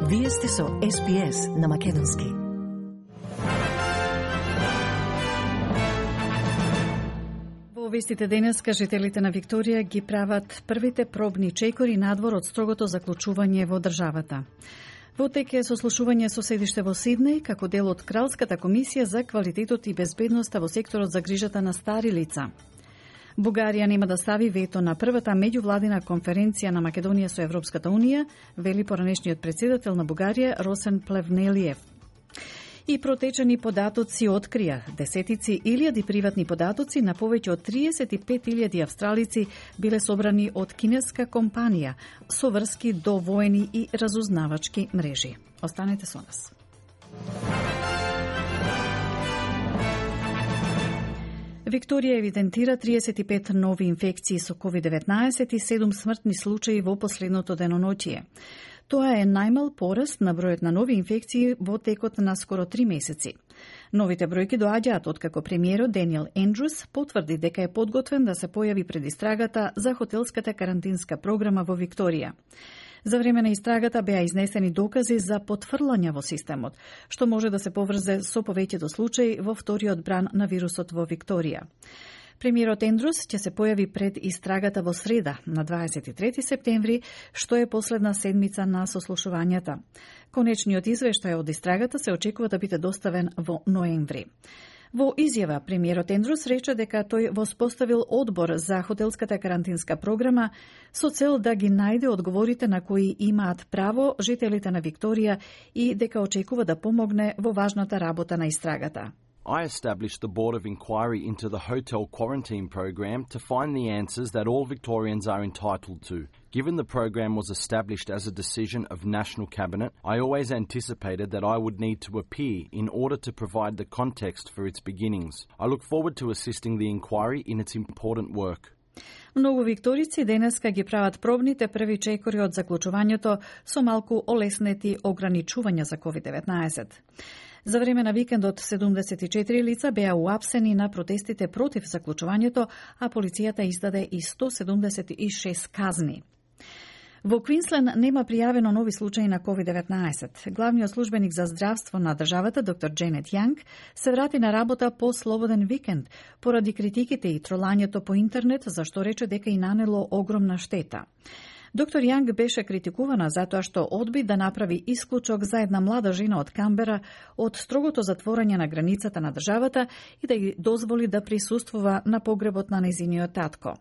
Вие сте со SBS на Македонски. Во вестите денеска жителите на Викторија ги прават првите пробни чекори надвор од строгото заклучување во државата. Во тек е сослушување со седиште во Сиднеј како дел од Кралската комисија за квалитетот и безбедноста во секторот за грижата на стари лица. Бугарија нема да стави вето на првата меѓувладина конференција на Македонија со Европската Унија, вели поранешниот председател на Бугарија Росен Плевнелиев. И протечени податоци открија десетици илјади приватни податоци на повеќе од 35.000 австралици биле собрани од кинеска компанија со врски до воени и разузнавачки мрежи. Останете со нас. Викторија евидентира 35 нови инфекции со COVID-19 и 7 смртни случаи во последното деноноќие. Тоа е најмал пораст на бројот на нови инфекции во текот на скоро 3 месеци. Новите бројки доаѓаат откако премиерот Даниел Ендрюс потврди дека е подготвен да се појави пред истрагата за хотелската карантинска програма во Викторија. За време на истрагата беа изнесени докази за потфрлање во системот, што може да се поврзе со повеќето случаи во вториот бран на вирусот во Викторија. Премиерот Ендрюс ќе се појави пред истрагата во среда, на 23 септември, што е последна седмица на сослушувањата. Конечниот извештај од истрагата се очекува да биде доставен во ноември. Во изјава, премиерот Ендрюс рече дека тој воспоставил одбор за хотелската карантинска програма со цел да ги најде одговорите на кои имаат право жителите на Викторија и дека очекува да помогне во важната работа на истрагата. I established the Board of Inquiry into the Hotel Quarantine Program to find the answers that all Victorians are entitled to. Given the program was established as a decision of National Cabinet, I always anticipated that I would need to appear in order to provide the context for its beginnings. I look forward to assisting the inquiry in its important work. Многу викторици денеска ги прават пробните први чекори од заклучувањето со малку олеснети ограничувања за COVID-19. За време на викендот 74 лица беа уапсени на протестите против заклучувањето, а полицијата издаде и 176 казни. Во Квинсленд нема пријавено нови случаи на COVID-19. Главниот службеник за здравство на државата, доктор Дженет Јанг, се врати на работа по слободен викенд, поради критиките и тролањето по интернет, за што рече дека и нанело огромна штета. Доктор Јанг беше критикувана затоа што одби да направи исклучок за една млада жена од Камбера од строгото затворање на границата на државата и да ги дозволи да присуствува на погребот на нејзиниот татко.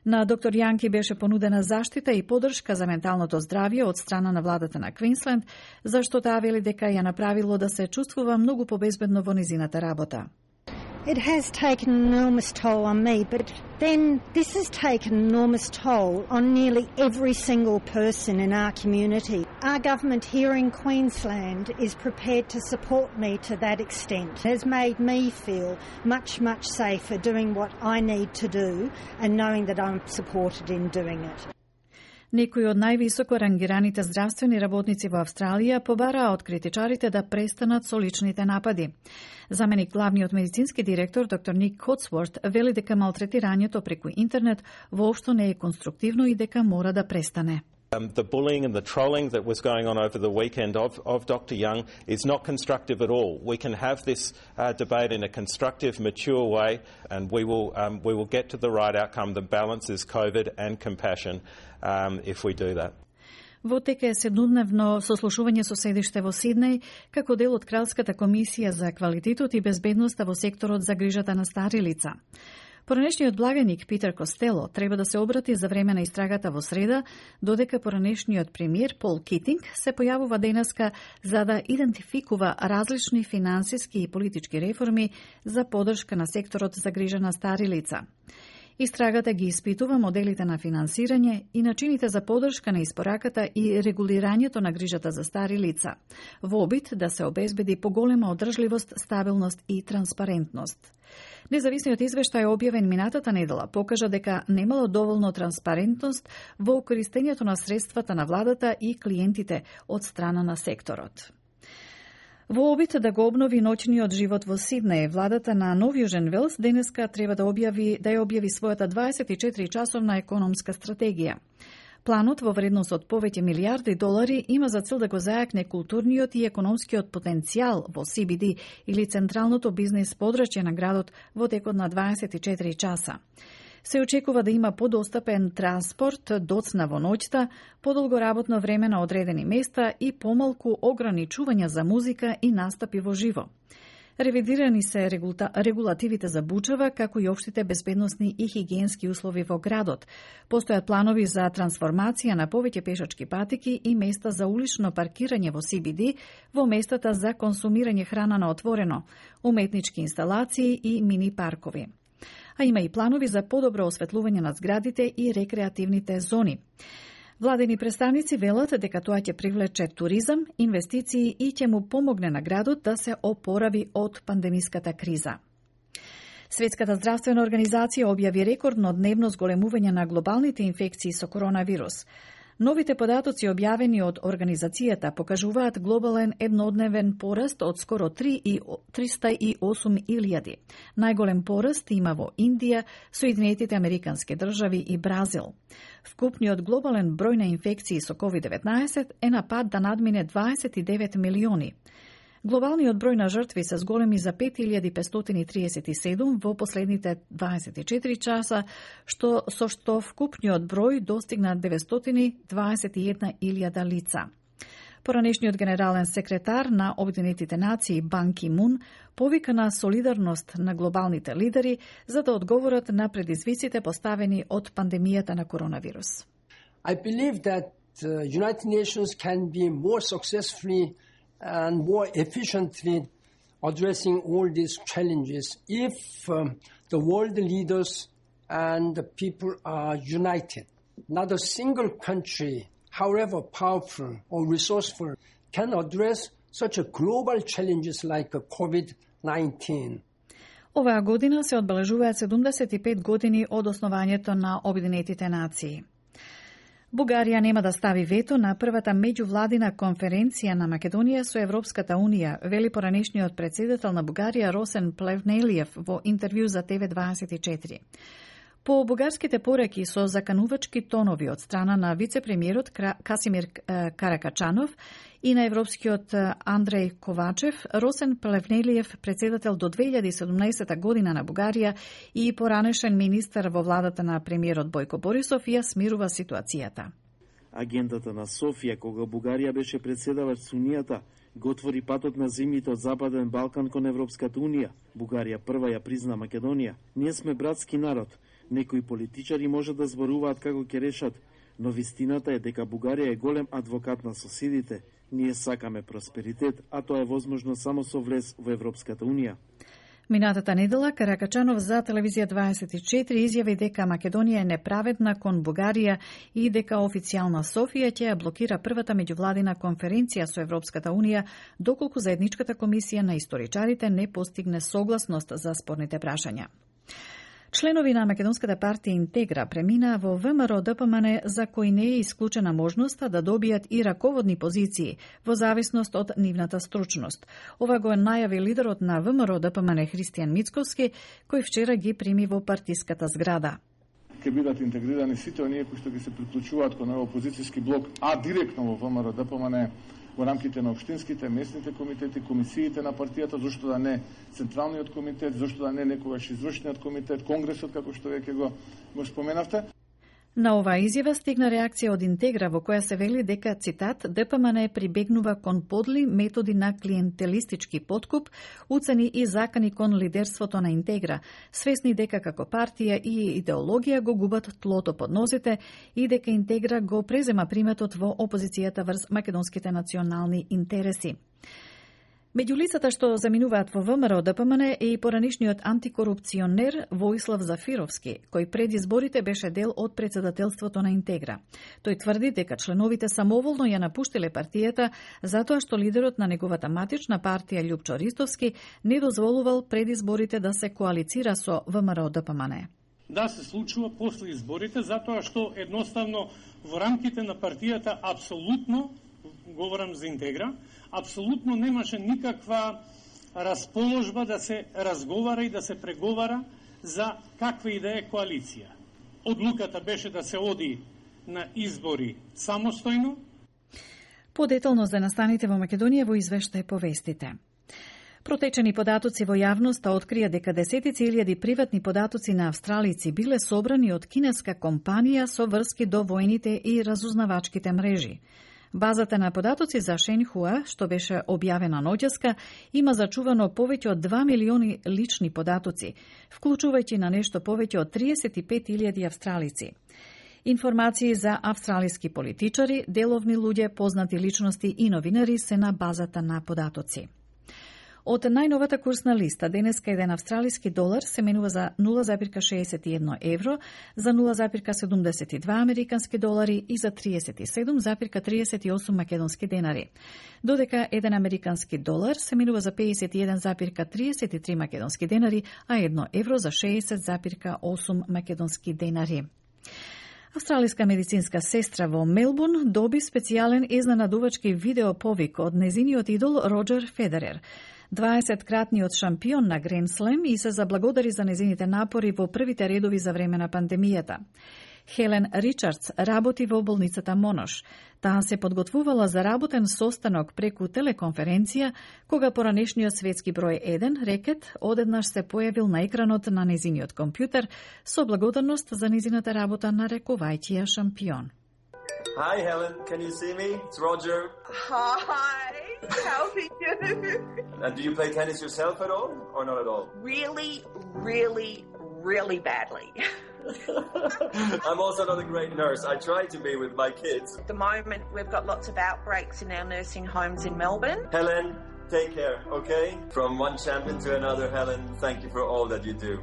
На доктор Јанки беше понудена заштита и поддршка за менталното здравје од страна на владата на Квинсленд, зашто таа вели дека ја направило да се чувствува многу побезбедно во незината работа. It has taken an enormous toll on me, but then this has taken an enormous toll on nearly every single person in our community. Our government here in Queensland is prepared to support me to that extent. It has made me feel much, much safer doing what I need to do and knowing that I'm supported in doing it. Некои од највисоко рангираните здравствени работници во Австралија побараа од критичарите да престанат со личните напади. Заменик главниот медицински директор доктор Ник Котсворт вели дека малтретирањето преку интернет воопшто не е конструктивно и дека мора да престане. The bullying and the trolling that was going on over the weekend of Dr. Young is not constructive at all. We can have this debate in a constructive, mature way, and we will get to the right outcome that balances COVID and compassion if we do that. Во тек е седнодневно сослушување со седиште во Сиднеј како дел од Кралската комисија за квалитетот и безбедноста во секторот за грижата на стари лица. Поранешниот благаник Питер Костело треба да се обрати за време на истрагата во среда, додека поранешниот премиер Пол Китинг се појавува денеска за да идентификува различни финансиски и политички реформи за поддршка на секторот за грижа на стари лица. Истрагата ги испитува моделите на финансирање и начините за поддршка на испораката и регулирањето на грижата за стари лица, во обид да се обезбеди поголема одржливост, стабилност и транспарентност. Независниот извештај објавен минатата недела покажа дека немало доволно транспарентност во користењето на средствата на владата и клиентите од страна на секторот. Во обид да го обнови ноќниот живот во Сиднеј, владата на Нов Јужен Велс денеска треба да ја објави својата 24-часовна економска стратегија. Планот во вредност од повеќе милиарди долари има за цел да го зајакне културниот и економскиот потенцијал во CBD или централното бизнес подрачје на градот во текот на 24 часа. Се очекува да има подостапен транспорт, доцна во ноќта, подолго работно време на одредени места и помалку ограничувања за музика и настапи во живо. Ревидирани се регулативите за бучава, како и општите безбедносни и хигиенски услови во градот. Постојат планови за трансформација на повеќе пешачки патеки и места за улично паркирање во CBD, во местата за консумирање храна на отворено, уметнички инсталации и мини паркови. А има и планови за подобро осветлување на зградите и рекреативните зони. Владени представници велат дека тоа ќе привлече туризам, инвестиции и ќе му помогне на градот да се опорави од пандемиската криза. Светската здравствена организација објави рекордно дневно зголемување на глобалните инфекции со коронавирус. Новите податоци објавени од организацијата покажуваат глобален еднодневен пораст од скоро 308.000. Најголем пораст има во Индија, Соединетите Американски држави и Бразил. Вкупниот глобален број на инфекции со COVID-19 е на пат да надмине 29 милиони. Глобалниот број на жртви се зголеми за 5537 во последните 24 часа, со што вкупниот број достигна 921.000 лица. Поранешниот генерален секретар на Обединетите нации Бан Ки Мун повика на солидарност на глобалните лидери за да одговорат на предизвиците поставени од пандемијата на коронавирус. I believe that United Nations can be more successfully and more efficiently addressing all these challenges if the world leaders and the people are united. Not a single country, however powerful or resourceful, can address such a global challenges like COVID-19. Оваа година се одбележуваат 75 години од основањето на Обединетите нации. Бугарија нема да стави вето на првата меѓувладина конференција на Македонија со Европската Унија, вели поранешниот председател на Бугарија Росен Плевнелиев во интервју за TV24. По бугарските пораки со заканувачки тонови од страна на вице-премиерот Касимир Каракачанов и на европскиот Андреј Ковачев, Росен Плевнелиев, председател до 2017 година на Бугарија и поранешен министар во владата на премиерот Бојко Борисов, ја смирува ситуацијата. Агендата на Софија, кога Бугарија беше председавач со Унијата, го отвори патот на земјите од Западен Балкан кон Европската Унија. Бугарија прва ја призна Македонија. Ние сме братски народ. Некои политичари може да зборуваат како ќе решат, но вистината е дека Бугарија е голем адвокат на соседите. Ние сакаме просперитет, а тоа е возможно само со влез во Европската Унија. Минатата недела Каракачанов за телевизија 24 изјави дека Македонија е неправедна кон Бугарија и дека официјална Софија ќе ја блокира првата меѓувладина конференција со Европската Унија доколку заедничката комисија на историчарите не постигне согласност за спорните прашања. Членови на Македонската партија Интегра преминаа во ВМРО ДПМН, за кои не е исклучена можноста да добијат и раководни позиции во зависност од нивната стручност. Ова го најави лидерот на ВМРО ДПМН Христијан Мицковски, кој вчера ги прими во партиската зграда. Ќе бидат интегрирани сите оние кои што ги се приклучуваат кон овој опозицијски блок, а директно во ВМРО ДПМН во рамките на општинските, местните комитети, комисиите на партијата, зашто да не Централниот комитет, зашто да не некогаш извршниот комитет, Конгресот, како што веќе го споменавте. На оваа изјава стигна реакција од Интегра во која се вели дека, цитат, ДПМН прибегнува кон подли методи на клиентелистички подкуп, уцени и закани кон лидерството на Интегра, свесни дека како партија и идеологија го губат тлото под нозите и дека Интегра го презема приметот во опозицијата врз македонските национални интереси. Меѓу лицата што заминуваат во ВМРО ДПМН е и поранишниот антикорупционер Воислав Зафировски, кој пред изборите беше дел од председателството на Интегра. Тој тврди дека членовите самоволно ја напуштиле партијата затоа што лидерот на неговата матична партија Љупчо Ристовски не дозволувал пред изборите да се коалицира со ВМРО ДПМН. Да се случува после изборите затоа што едноставно во рамките на партијата апсолутно, говорам за Интегра, апсолутно немаше никаква расположба да се разговара и да се преговара за каква и да е коалиција. Одлуката беше да се оди на избори самостојно. Подетално за настаните во Македонија во извештај повестите. Протечени податоци во јавноста открија дека десетици илјади приватни податоци на австралици биле собрани од кинеска компанија со врски до војните и разузнавачките мрежи. Базата на податоци за Шенхуа, што беше објавена ноќеска, има зачувано повеќе од 2 милиони лични податоци, вклучувајќи на нешто повеќе од 35.000 австралици. Информации за австралиски политичари, деловни луѓе, познати личности и новинари се на базата на податоци. Од најновата курсна листа, денеска еден австралиски долар се менува за 0,61 евро, за 0,72 американски долари и за 37,38 македонски денари. Додека еден американски долар се менува за 51,33 македонски денари, а 1 евро за 60,8 македонски денари. Австралиска медицинска сестра во Мелбурн доби специјален изненадувачки видеоповик од незиниот идол Роџер Федерер, 20-кратниот шампион на Гранд Слем, и се заблагодари за незините напори во првите редови за време на пандемијата. Хелен Ричардс работи во болницата Монош. Таа се подготвувала за работен состанок преку телеконференција, кога поранешниот светски број 1 рекет одеднаш се појавил на екранот на незиниот компјутер со благодарност за незината работа, нарекувајќи ја шампион. Hi Helen, can you see me? It's Roger. Hi, how are you? And do you play tennis yourself at all, or not at all? Really badly. I'm also not a great nurse. I try to be with my kids. At the moment, we've got lots of outbreaks in our nursing homes in Melbourne. Helen, take care, okay? From one champion to another, Helen, thank you for all that you do.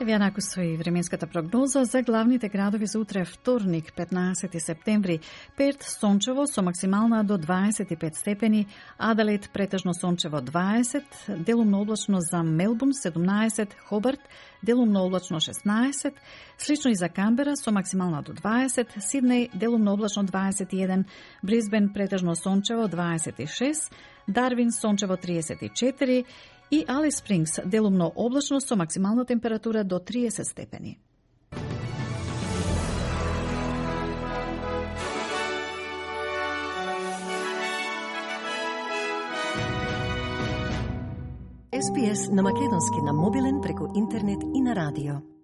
Еве накусо и временската прогноза за главните градови за утре вторник, 15 септември. Перт сончево со максимална до 25 степени, Аделаид претежно сончево 20, делумно облачно за Мелбурн 17, Хобарт делумно облачно 16, слично и за Камбера со максимална до 20, Сиднеј делумно облачно 21, Брисбен претежно сончево 26, Дарвин сончево 34 и Алис Спрингс делумно облачно со максимална температура до 30 степени. SPS на македонски на мобилен преку интернет и на радио.